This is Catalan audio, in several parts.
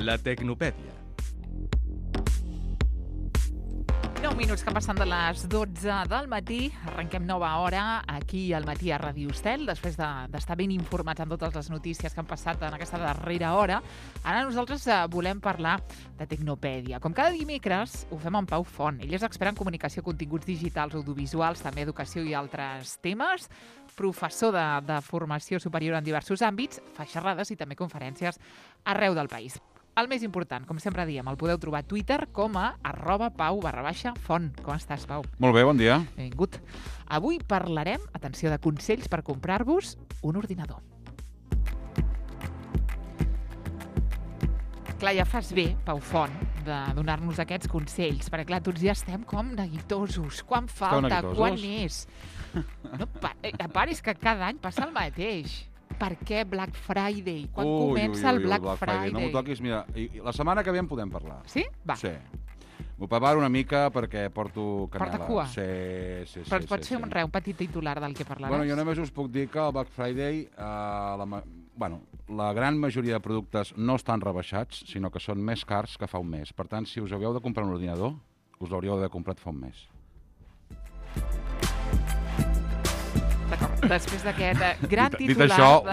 La Tecnopèdia. 9 minuts que passen de les 12 del matí. Arrenquem nova hora aquí al matí a Ràdio Estel, després d'estar ben informats en totes les notícies que han passat en aquesta darrera hora. Ara nosaltres volem parlar de Tecnopèdia. Com cada dimecres, ho fem amb Pau Font. Ell és expert en comunicació, continguts digitals, audiovisuals, també educació i altres temes, professor de formació superior en diversos àmbits, fa xerrades i també conferències arreu del país. El més important, com sempre diem, el podeu trobar a Twitter com a @pau_font. Com estàs, Pau? Molt bé, bon dia. Benvingut. Avui parlarem, atenció, de consells per comprar-vos un ordinador. Clar, ja fas bé, Pau Font, de donar-nos aquests consells, perquè clar, tots ja estem com neguitosos. Quan falta? neguitosos? Quan és? No, a part, és que cada any passa el mateix. Per què Black Friday? Quan comença el Black Friday? No m'ho toquis, mira, la setmana que ve en podem parlar. Sí? Va. Sí. M'ho preparo una mica perquè porto canela. Porta cua? Sí. Però pot ser un petit titular del que parlaràs? Bueno, jo només us puc dir que el Black Friday, la gran majoria de productes no estan rebaixats, sinó que són més cars que fa un mes. Per tant, si us havíeu de comprar un ordinador, us l'hauríeu d'haver comprat fa un mes. D'acord, després d'aquest gran titular... Dit això,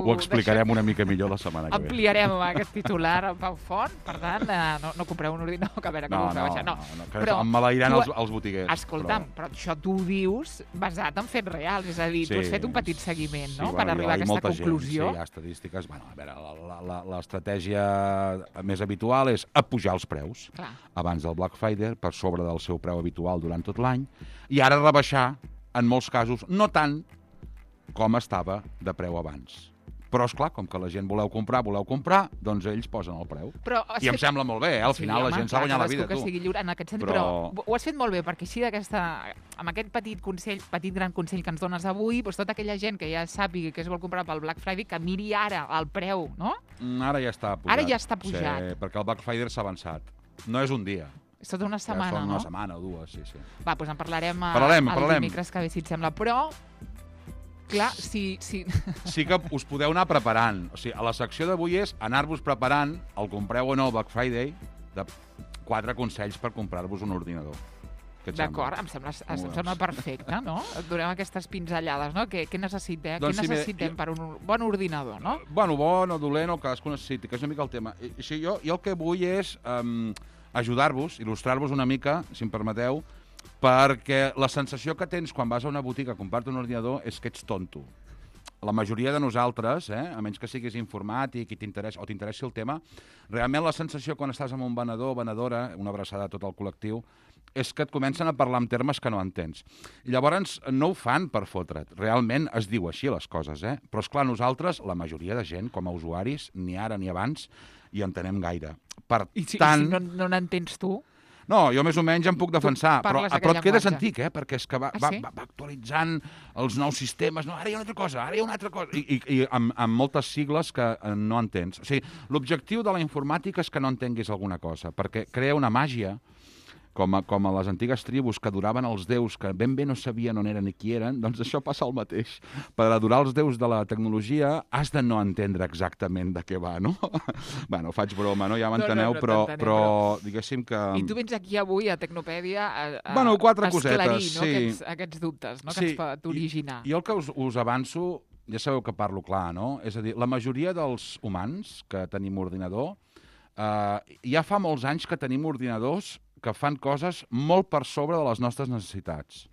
ho explicarem una mica millor la setmana que ve. Ampliarem aquest titular al Pau Font, per tant, no compreu un ordinador, que a veure, que no us no. Que em malairan els botiguers. Escolta'm, però això tu ho dius basat en fets reals, és a dir, tu has fet un petit seguiment, no?, per arribar a aquesta conclusió. Sí, hi ha estadístiques. Bueno, a veure, l'estratègia més habitual és apujar els preus abans del Black Friday per sobre del seu preu habitual durant tot l'any i ara rebaixar, en molts casos, no tant com estava de preu abans. Però, esclar, com que la gent voleu comprar, doncs ells posen el preu. I em sembla molt bé, al final la gent s'ha guanyat la vida, tu. Que sigui lliure en aquest sentit, però ho has fet molt bé, perquè així amb aquest petit gran consell que ens dones avui, doncs tota aquella gent que ja sàpiga que es vol comprar pel Black Friday, que miri ara el preu, no? Ara ja està pujat. Ara ja està pujat. Sí, perquè el Black Friday s'ha avançat. No és un dia. És tota una setmana, no? Una setmana o dues, sí. Va, doncs en parlarem el dimecres que ve, si et sembla. Però, clar, sí que us podeu anar preparant. O sigui, a la secció d'avui és anar-vos preparant, el compreu o no el Black Friday, de 4 consells per comprar-vos un ordinador. D'acord, em sembla perfecte, no? Et donem aquestes pinzellades, no? Què necessitem? Doncs què necessitem per un bon ordinador, no? Bueno, bon o dolent, el que cadascú necessiti, que és una mica el tema. Jo el que vull és ajudar-vos, il·lustrar-vos una mica, si em permeteu, perquè la sensació que tens quan vas a una botiga a comprar-te un ordinador és que ets tonto. La majoria de nosaltres, a menys que siguis informàtic i t'interessi el tema, realment la sensació quan estàs amb un venedor o venedora, una abraçada a tot el col·lectiu, és que et comencen a parlar en termes que no entens. I llavors no ho fan per fotre't. Realment es diu així les coses, Però, esclar, nosaltres, la majoria de gent, com a usuaris, ni ara ni abans, hi entenem gaire. I si no n'entens tu? No, jo més o menys em puc defensar, però et quedes antic, perquè és que va actualitzant els nous sistemes. No, ara hi ha una altra cosa, I amb moltes sigles que no entens. O sigui, l'objectiu de la informàtica és que no entenguis alguna cosa, perquè crea una màgia, com a les antigues tribus que adoraven els déus, que ben bé no sabien on eren ni qui eren, doncs això passa el mateix. Per adorar els déus de la tecnologia has de no entendre exactament de què va, no? Bueno, faig broma, no? Ja m'enteneu, però diguéssim que... I tu vens aquí avui a Tecnopèdia a 4 esclarir, cosetes, aquests dubtes, no? Que ens pot originar. I el que us avanço, ja sabeu que parlo clar, no? És a dir, la majoria dels humans que tenim ordinador, ja fa molts anys que tenim ordinadors que fan coses molt per sobre de les nostres necessitats.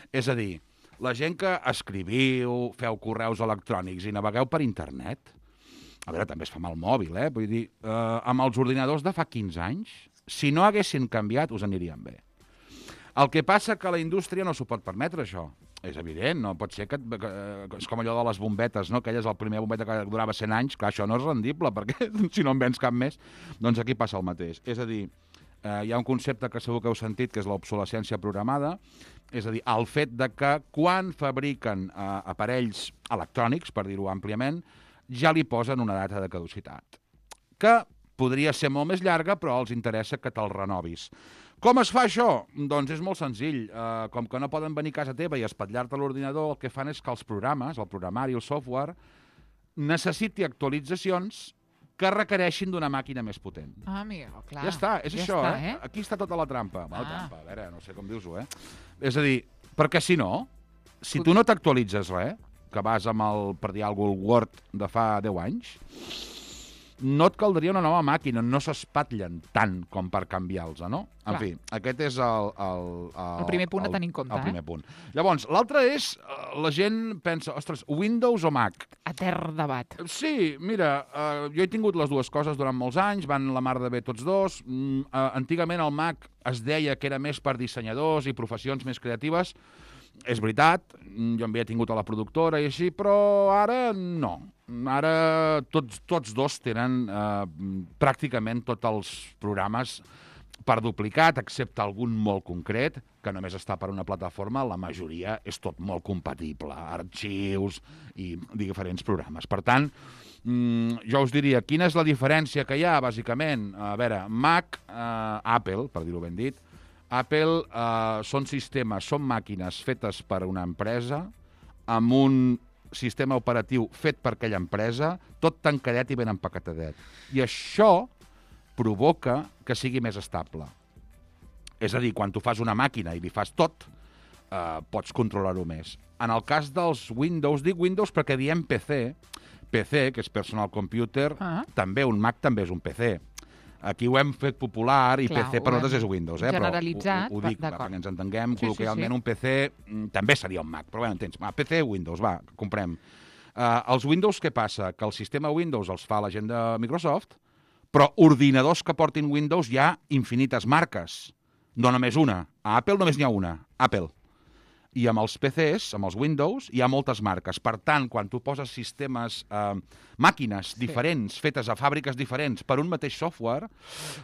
És a dir, la gent que escriviu, feu correus electrònics i navegueu per internet, a veure, també es fa amb el mòbil, vull dir, amb els ordinadors de fa 15 anys, si no haguessin canviat, us anirien bé. El que passa que la indústria no s'ho pot permetre, això. És evident, no pot ser que és com allò de les bombetes, no? Aquella és el primer bombeta que durava 100 anys, clar, això no és rendible, perquè si no en vens cap més, doncs aquí passa el mateix. És a dir, hi ha un concepte que segur que heu sentit, que és l'obsolescència programada, és a dir, el fet de que quan fabriquen aparells electrònics, per dir-ho àmpliament, ja li posen una data de caducitat, que podria ser molt més llarga, però els interessa que te'l renovis. Com es fa això? Doncs és molt senzill. Com que no poden venir a casa teva i espatllar-te l'ordinador, el que fan és que els programes, el programari, el software, necessiti actualitzacions que requereixin d'una màquina més potent. Ah, amigo, clar. Ja està, és ja això, està, Aquí està tota la trampa. La Ah. trampa, a veure, no sé com dius-ho, És a dir, perquè si no, si tu no t'actualitzes res, que vas amb el, per dir alguna cosa, el Word de fa 10 anys, no et caldria una nova màquina, no s'espatllen tant com per canviar-los, no? En Clar. fi, aquest és el primer punt a tenir en compte, El primer punt. Llavors, l'altre és, la gent pensa, ostres, Windows o Mac? Etern debat. Sí, mira, jo he tingut les dues coses durant molts anys, van la mar de bé tots dos. Antigament el Mac es deia que era més per dissenyadors i professions més creatives. És veritat, jo en havia tingut a la productora i així, però ara no. Ara tots dos tenen pràcticament tots els programes per duplicat, excepte algun molt concret, que només està per una plataforma, la majoria és tot molt compatible, arxius i diferents programes. Per tant, jo us diria, quina és la diferència que hi ha, bàsicament? A veure, Mac, Apple, per dir-ho ben dit, Apple són sistemes, són màquines fetes per una empresa, amb un sistema operatiu fet per aquella empresa, tot tancadet i ben empaquetadet. I això provoca que sigui més estable. És a dir, quan tu fas una màquina i li fas tot, pots controlar-ho més. En el cas dels Windows, dic Windows perquè diem PC, que és Personal Computer, també un Mac també és un PC. Aquí ho hem fet popular i PC per nosaltres és Windows, generalitzat, però ho dic perquè ens entenguem, col·loquialment un PC també seria un Mac, però bé, entens, PC, Windows, va, comprem. Els Windows, què passa? Que el sistema Windows els fa la gent de Microsoft, però ordinadors que portin Windows hi ha infinites marques, no només una. A Apple només n'hi ha una, Apple. I amb els PCs, amb els Windows, hi ha moltes marques. Per tant, quan tu poses sistemes, màquines diferents, fetes a fàbriques diferents per un mateix software,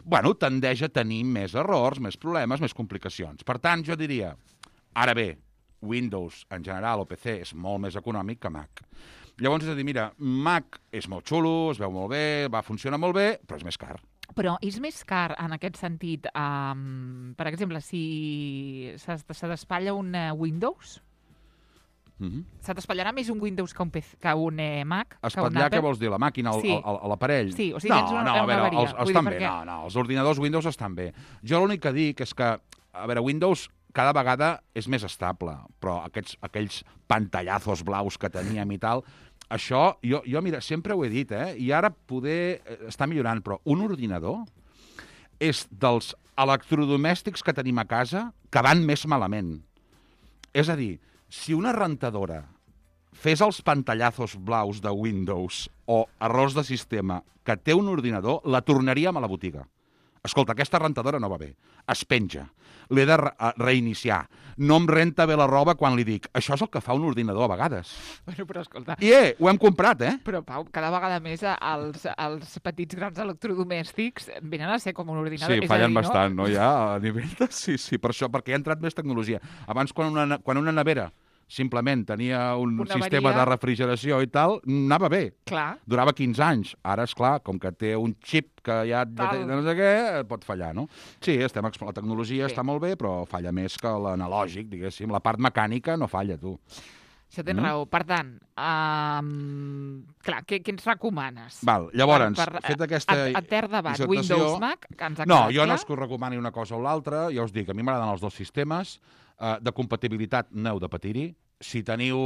bueno, tendeix a tenir més errors, més problemes, més complicacions. Per tant, jo diria, ara bé, Windows en general o PC és molt més econòmic que Mac. Llavors, és a dir, mira, Mac és molt xulo, es veu molt bé, va funcionar molt bé, però és més car. Però és més car en aquest sentit, per exemple, si se t'espatlla un Windows, se t'espatllarà més un Windows que un Mac? Espatllar, què vols dir? La màquina, l'aparell? Sí, o sigui, tens una avaria. Estan bé, no, els ordinadors Windows estan bé. Jo l'únic que dic és que, a veure, Windows cada vegada és més estable, però aquells pantallazos blaus que teníem i tal, això, jo mira, sempre ho he dit, i ara poder està millorant, però un ordinador és dels electrodomèstics que tenim a casa que van més malament. És a dir, si una rentadora fes els pantallazos blaus de Windows o errors de sistema que té un ordinador, la tornaríem a la botiga. Escolta, aquesta rentadora no va bé, es penja, l'he de reiniciar, no em renta bé la roba quan li dic. Això és el que fa un ordinador a vegades. Bueno, però escolta... I ho hem comprat, Però, Pau, cada vegada més els petits grans electrodomèstics venen a ser com un ordinador. Sí, fallen bastant, no? Ja a nivell de... Sí, per això, perquè hi ha entrat més tecnologia. Abans, quan una nevera simplement tenia un sistema de refrigeració i tal, anava bé. Clar. Durava 15 anys. Ara, és clar, com que té un xip que ja no sé què, pot fallar, no? Sí, la tecnologia està molt bé, però falla més que l'analògic, diguéssim. La part mecànica no falla, tu. Això tens raó. Per tant, clar, què ens recomanes? Val, llavors, fet aquesta etern debat, dissertació... Windows, Mac, que ens ha No, quedat jo no clar? és que us recomani una cosa o l'altra, ja us dic, a mi m'agraden els dos sistemes, de compatibilitat no heu de patir-hi. Si teniu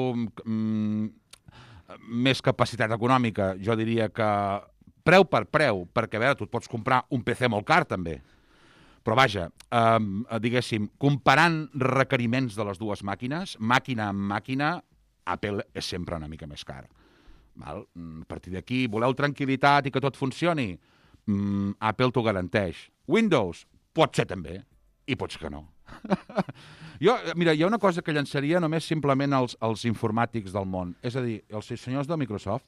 més capacitat econòmica, jo diria que preu per preu, perquè a veure, tu et pots comprar un PC molt car també. Però vaja, diguéssim, comparant requeriments de les dues màquines, màquina amb màquina, Apple és sempre una mica més car. Val? A partir d'aquí, voleu tranquil·litat i que tot funcioni? Apple t'ho garanteix. Windows, pot ser també, i pots que no. Mira, hi ha una cosa que llançaria només simplement als informàtics del món. És a dir, els senyors de Microsoft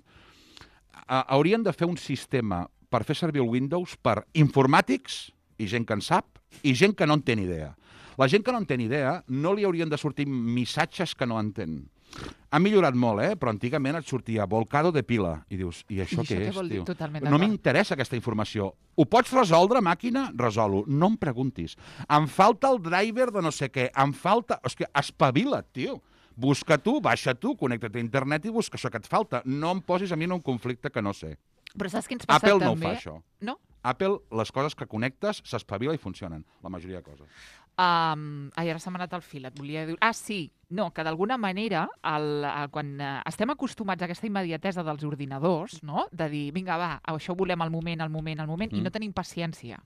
haurien de fer un sistema per fer servir el Windows per informàtics i gent que en sap i gent que no en té ni idea. La gent que no en té ni idea no li haurien de sortir missatges que no entén. Ha millorat molt, però antigament et sortia volcado de pila. I dius, i això què és, tio? No m'interessa aquesta informació. Ho pots resoldre, màquina? Resol-ho. No em preguntis. Em falta el driver de no sé què. Em falta... És que espavila't, tio. Busca tu, baixa tu, connecta't a internet i busca això que et falta. No em posis a mi en un conflicte que no sé. Però saps què ens passa Apple també? no ho fa, això. No? Apple, les coses que connectes, s'espavila i funcionen. La majoria de coses. Ara s'ha anat el fil, et volia dir... Sí, no, que d'alguna manera, quan estem acostumats a aquesta immediatesa dels ordinadors, no? De dir, vinga, va, això ho volem al moment, i no tenim paciència.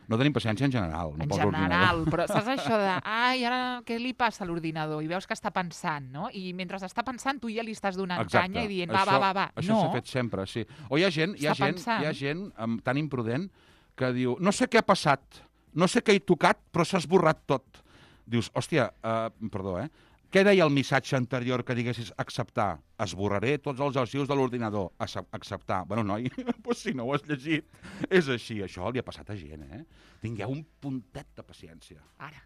No tenim paciència en general. En general, però saps això de, ara què li passa a l'ordinador? I veus que està pensant, no? I mentre està pensant, tu ja li estàs donant canya i dient, va. Això s'ha fet sempre, sí. O hi ha gent tan imprudent que diu, no sé què ha passat, no sé què he tocat, però s'ha esborrat tot. Dius, hòstia, perdó, què deia el missatge anterior que diguessis acceptar? Esborraré tots els arxius de l'ordinador. Acceptar. Bueno, noi, doncs si no ho has llegit, és així. Això li ha passat a gent, Tingueu un puntet de paciència. Ara.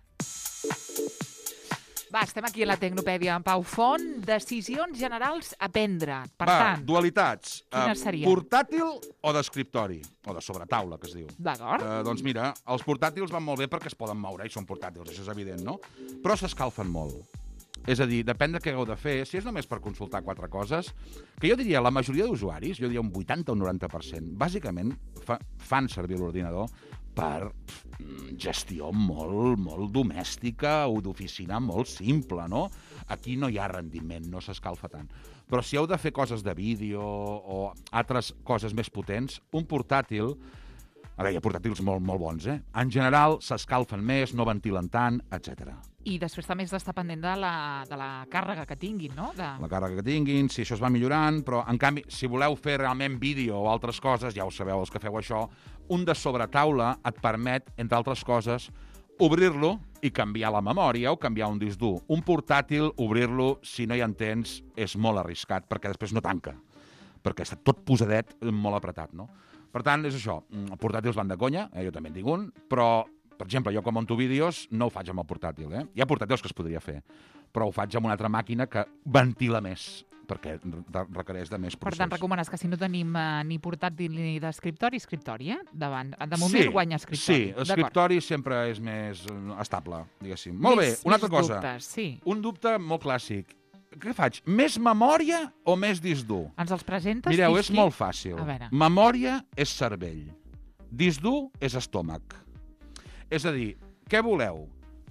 Va, estem aquí a la Tecnopèdia amb Pau Font. Decisions generals a prendre. Per tant, dualitats. Quines serien? Portàtil o d'escriptori? O de sobretaula, que es diu. D'acord. Doncs mira, els portàtils van molt bé perquè es poden moure i són portàtils, això és evident, no? Però s'escalfen molt. És a dir, depèn de què hagueu de fer. Si és només per consultar 4 coses, que jo diria, la majoria d'usuaris, jo diria un 80 o un 90%, bàsicament fan servir l'ordinador per gestió molt domèstica o d'oficina molt simple, no? Aquí no hi ha rendiment, no s'escalfa tant. Però si heu de fer coses de vídeo o altres coses més potents, un portàtil... A veure, hi ha portàtils molt bons, En general, s'escalfen més, no ventilen tant, etc. I després també has d'estar pendent de la càrrega que tinguin, no? La càrrega que tinguin, si això es va millorant, però, en canvi, si voleu fer realment vídeo o altres coses, ja ho sabeu, els que feu això, un de sobretaula et permet, entre altres coses, obrir-lo i canviar la memòria o canviar un disc dur. Un portàtil, obrir-lo, si no hi entens, és molt arriscat, perquè després no tanca, perquè està tot posadet, molt apretat, no? Per tant, és això, els portàtils van de conya, jo també en tinc un, però, per exemple, jo com monto vídeos no ho faig amb el portàtil, Hi ha portàtils que es podria fer, però ho faig amb una altra màquina que ventila més, perquè requereix de més procés. Per tant, recomanes que si no tenim ni portàtil ni d'escriptori, davant. De moment guanya escriptori. Sí, l'escriptori sempre és més estable, diguéssim. Molt bé, una altra cosa. Dubtes, sí. Un dubte molt clàssic. Què faig? Més memòria o més disc dur? Ens els presentes? Mireu, és molt fàcil. Memòria és cervell. Disc dur és estómac. És a dir, què voleu?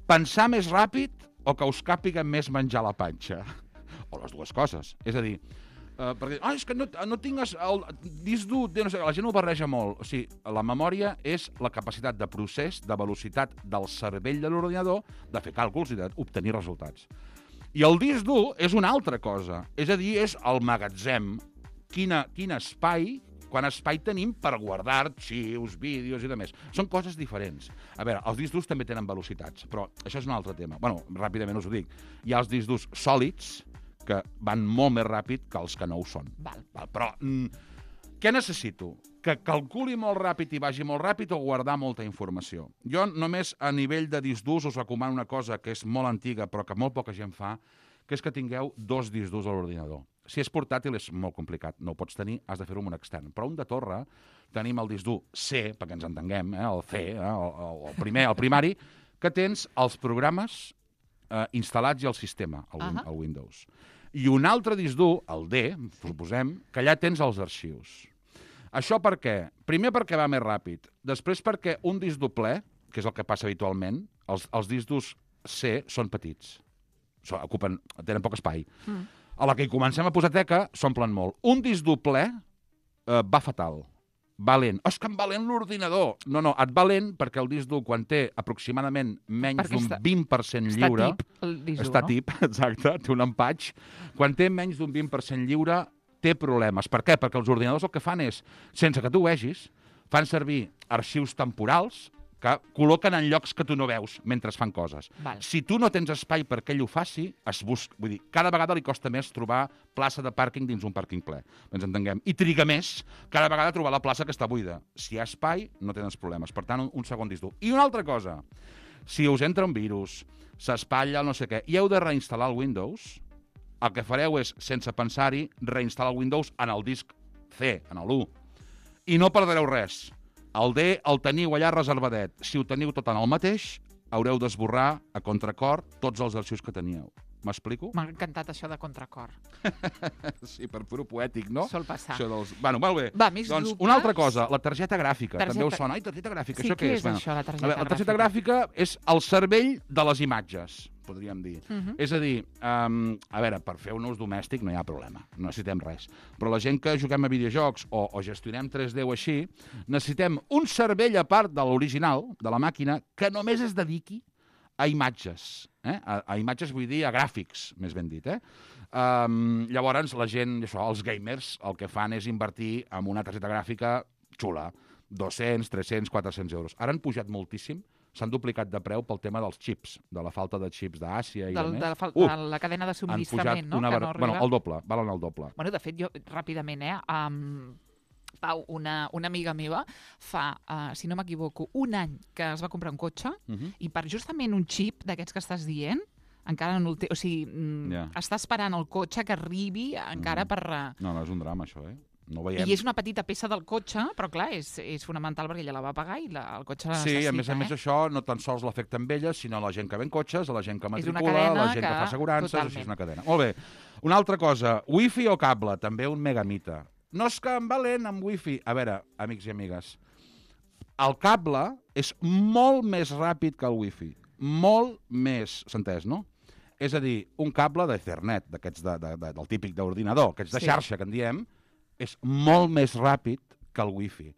Pensar més ràpid o que us càpiga més menjar la panxa? O les dues coses. És a dir, perquè, és que no tingues el disc dur, no sé, la gent ho barreja molt. O sigui, la memòria és la capacitat de procés, de velocitat del cervell de l'ordinador, de fer càlculs i d'obtenir resultats. I el disc dur és una altra cosa. És a dir, és el magatzem. Quin espai, quant espai tenim per guardar arxius, vídeos i demés. Són coses diferents. A veure, els discs durs també tenen velocitats, però això és un altre tema. Bueno, ràpidament us ho dic. Hi ha els discs durs sòlids, que van molt més ràpid que els que no ho són. Però què necessito? Que calculi molt ràpid i vagi molt ràpid o guardar molta informació? Jo només a nivell de disc durs us recomano una cosa que és molt antiga però que molt poca gent fa, que és que tingueu 2 discs durs a l'ordinador. Si és portàtil és molt complicat, no ho pots tenir, has de fer-ho amb un extern. Però un de torre, tenim el disc dur C, perquè ens entenguem, el C, el primari, que tens els programes instal·lats i el sistema, el Windows. I un altre disc dur, el D, suposem, que allà tens els arxius. Això per què? Primer perquè va més ràpid. Després perquè un disc dur ple, que és el que passa habitualment, els discs durs C són petits. Tenen poc espai. A la que hi comencem a posar teca, s'omplen molt. Un disc dur ple va fatal. Va lent. És que em va lent l'ordinador. No, et va lent perquè el disc dur, quan té aproximadament menys d'un 20% lliure... Està tip, exacte, té un empatx. Quan té menys d'un 20% lliure, té problemes. Per què? Perquè els ordinadors el que fan és, sense que tu ho vegis, fan servir arxius temporals que col·loquen en llocs que tu no veus mentre fan coses. Si tu no tens espai perquè ell ho faci, vull dir, cada vegada li costa més trobar plaça de pàrquing dins un pàrquing ple. Ens entenguem. I triga més cada vegada trobar la plaça que està buida. Si hi ha espai, no tens problemes. Per tant, un segon disc dur. I una altra cosa, si us entra un virus, s'espatlla no sé què, i heu de reinstal·lar el Windows, el que fareu és, sense pensar-hi, reinstal·lar el Windows en el disc C, en l'1. I no perdreu res. El D el teniu allà reservadet. Si ho teniu tot en el mateix, haureu d'esborrar a contracor tots els arxius que teníeu. M'explico? M'ha encantat això de contracor. Sí, per puro poètic, no? Sol passar. Això dels... Bueno, molt bé. Va, més Doncs dubtes? una altra cosa, la targeta gràfica. També us sona. Ai, targeta gràfica, Sí, això què és? això, la targeta gràfica? La targeta gràfica és el cervell de les imatges, podríem dir. És a dir, a veure, per fer un ús domèstic no hi ha problema, no necessitem res. Però la gent que juguem a videojocs o gestionem 3D o així, necessitem un cervell a part de l'original, de la màquina, que només es dediqui a imatges. A imatges vull dir a gràfics, més ben dit. Llavors, la gent, els gamers, el que fan és invertir en una targeta gràfica xula. 200, 300, 400 euros. Ara han pujat moltíssim, s'han duplicat de preu pel tema dels xips, de la falta de xips d'Àsia i de la cadena de subministrament, no? Bueno, el doble, valen el doble. Bueno, de fet, jo, ràpidament, Pau, una amiga meva fa, si no m'equivoco, un any que es va comprar un cotxe i per justament un xip d'aquests que estàs dient, encara no el té... O sigui, està esperant el cotxe que arribi encara per... No, és un drama, això, No ho veiem. I és una petita peça del cotxe, però clar, és fonamental perquè ella la va pagar i el cotxe la necessita. Sí, a més això no tan sols l'afecta amb ella, sinó la gent que ven cotxes, la gent que matricula, cadena, la gent que fa assegurances, així és una cadena. Molt bé. Una altra cosa, wifi o cable, també un megamite. No és que em va lent amb wifi. A veure, amics i amigues, el cable és molt més ràpid que el wifi. Molt més, s'ha entès, no? És a dir, un cable d'Ethernet, d'aquests del típic d'ordinador, aquests de xarxa que en diem, és molt més ràpid que el wifi.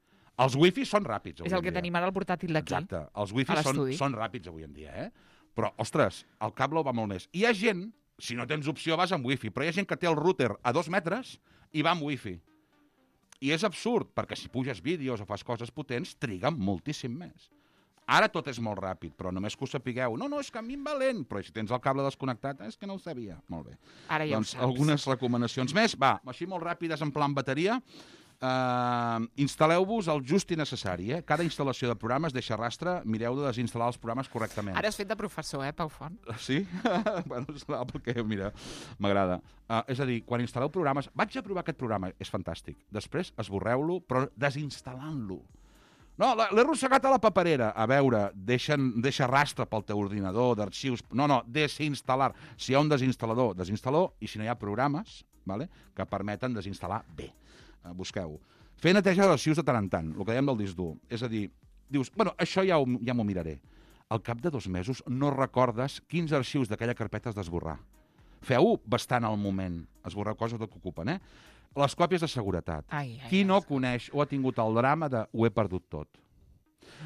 Els wifi són ràpids avui en dia. És el que tenim ara al portàtil d'aquí. Exacte. Els wifi són ràpids avui en dia, Però, ostres, el cable va molt més. Hi ha gent, si no tens opció vas amb wifi, però hi ha gent que té el router a 2 metres i va amb wifi. I és absurd, perquè si puges vídeos o fas coses potents, triguen moltíssim més. Ara tot és molt ràpid, però només que ho sapigueu. No, és que a mi em va lent, però si tens el cable desconnectat, és que no ho sabia. Molt bé. Ara ja ho saps. Algunes recomanacions més. Va, així molt ràpides, en plan bateria. Instal·leu-vos el just i necessari. Cada instal·lació de programes deixa rastre. Mireu de desinstal·lar els programes correctament. Ara has fet de professor, Pau Font? Sí? Bueno, serà perquè, mira, m'agrada. És a dir, quan instal·leu programes... Vaig a provar aquest programa, és fantàstic. Després esborreu-lo, però desinstal·lant-lo. No, l'he arrossegat a la paperera. A veure, deixa rastre pel teu ordinador d'arxius. No, desinstal·lar. Si hi ha un desinstal·lador, desinstal·lar, i si no hi ha programes que permeten desinstal·lar bé. Busqueu. Fer neteja d'arxius de tant en tant, el que dèiem del disc dur. És a dir, dius, bueno, això ja m'ho miraré. Al cap de 2 mesos no recordes quins arxius d'aquella carpeta has d'esborrar. Feu-ho bastant al moment. Esborreu coses que ocupen, Les còpies de seguretat. Qui no coneix o ha tingut el drama de ho he perdut tot?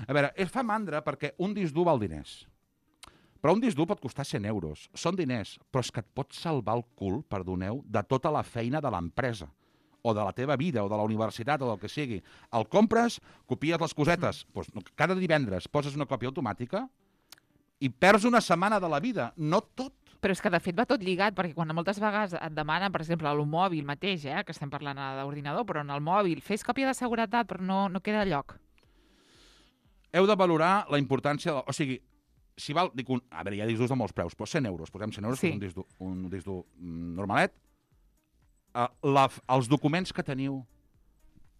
A veure, fa mandra perquè un disc dur val diners. Però un disc dur pot costar 100 euros. Són diners, però és que et pot salvar el cul, perdoneu, de tota la feina de l'empresa, o de la teva vida, o de la universitat, o del que sigui. El compres, copies les cosetes. Cada divendres poses una còpia automàtica i perds una setmana de la vida. No tot. Però és que, de fet, va tot lligat, perquè quan moltes vegades et demanen, per exemple, al mòbil mateix, que estem parlant d'ordinador, però en el mòbil, fes còpia de seguretat, però no queda lloc. Heu de valorar la importància... O sigui, si val... Dic a veure, hi ha discs durs de molts preus, però 100 euros, posem 100 euros, sí. Un disc dur normalet. Els documents que teniu,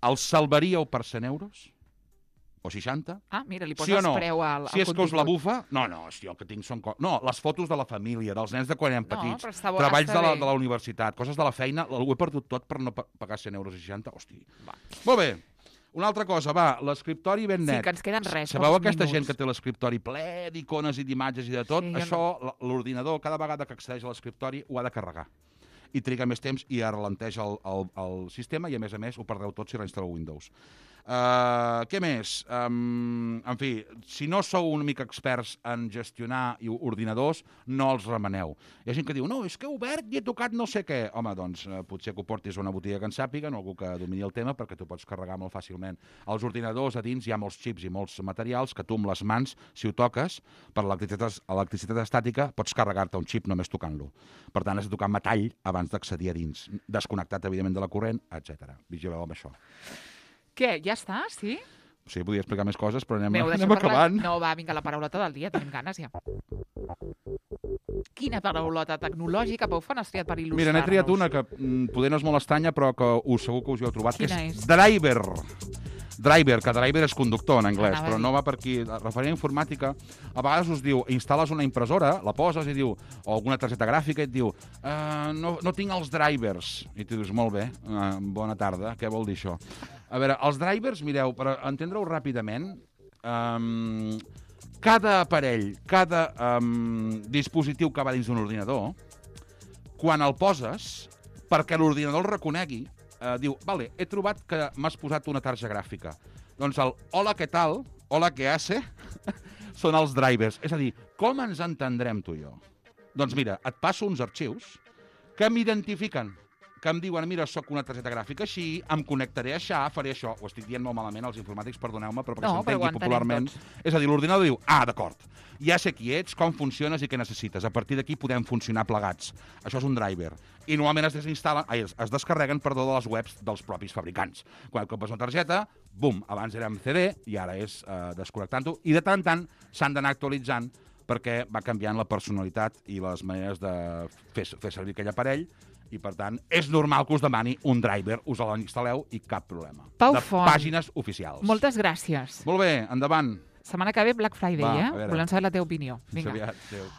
els salvaríeu per 100 euros? O 60? Mira, li poses preu al contingut. Si és que us la bufa... No, si el que tinc són... No, les fotos de la família, dels nens de quan eren petits, treballs de la universitat, coses de la feina, ho he perdut tot per no pagar 100 euros i 60. Hosti. Molt bé. Una altra cosa, l'escriptori ben net. Sí, que ens queden res. Sabeu aquesta gent que té l'escriptori ple d'icones i d'imatges i de tot? Això, l'ordinador, cada vegada que accedeix a l'escriptori, ho ha de carregar. I triga més temps i ralenteix el sistema i, a més, ho perdreu tot si reinstal·leu Windows. Què més? En fi, si no sou una mica experts en gestionar ordinadors, no els remeneu. Hi ha gent que diu, no, és que he obert i he tocat no sé què. Home, doncs, potser que ho portis a una botiga que en sàpiga, no algú que domini el tema, perquè tu pots carregar molt fàcilment. Als ordinadors, a dins, hi ha molts xips i molts materials que tu amb les mans, si ho toques, per l'electricitat estàtica, pots carregar-te un xip només tocant-lo. Per tant, has de tocar metall abans d'accedir a dins. Desconnectat, evidentment, de la corrent, etc. Vigileu amb això. Què, ja està, sí? Sí, podria explicar més coses, però anem acabant. No, va, vinga, la paraulota del dia, tenim ganes ja. Quina paraulota tecnològica, Pau Font, has triat per il·lustrar-nos? Mira, n'he triat una que poder no és molt estranya, però que segur que us hi heu trobat. Quina és? Driver. Driver, que driver és conductor en anglès, Anava a però dir. no va per aquí. Referent a informàtica, a vegades us diu, instal·les una impressora, la poses i diu, o alguna targeta gràfica i et diu, no tinc els drivers. I tu dius, molt bé, bona tarda, què vol dir això? A veure, els drivers, mireu, per entendre-ho ràpidament, cada aparell, cada dispositiu que va dins d'un ordinador, quan el poses, perquè l'ordinador el reconegui, diu, vale, he trobat que m'has posat una tarja gràfica. Doncs el hola, què tal, hola, què hace, són els drivers. És a dir, com ens entendrem tu i jo? Doncs mira, et passo uns arxius que m'identifiquen, que em diuen, mira, sóc una targeta gràfica així, em connectaré a això, faré això. Ho estic dient molt malament als informàtics, perdoneu-me, però perquè No, però ho s'entengui entenem popularment. tots. És a dir, l'ordinador diu, d'acord, ja sé qui ets, com funciones i què necessites. A partir d'aquí podem funcionar plegats. Això és un driver. I normalment es descarreguen, de les webs dels propis fabricants. Quan compres una targeta, bum, abans era amb CD i ara és desconnectant-ho. I de tant en tant s'han d'anar actualitzant perquè va canviant la personalitat i les maneres de fer servir aquell aparell i, per tant, és normal que us demani un driver, us l'instal·leu i cap problema. Pau de Font. pàgines oficials. Moltes gràcies. Molt bé, endavant. Setmana que ve Black Friday, Va, a veure. Volem saber la teva opinió. Fins Vinga. aviat. Adéu.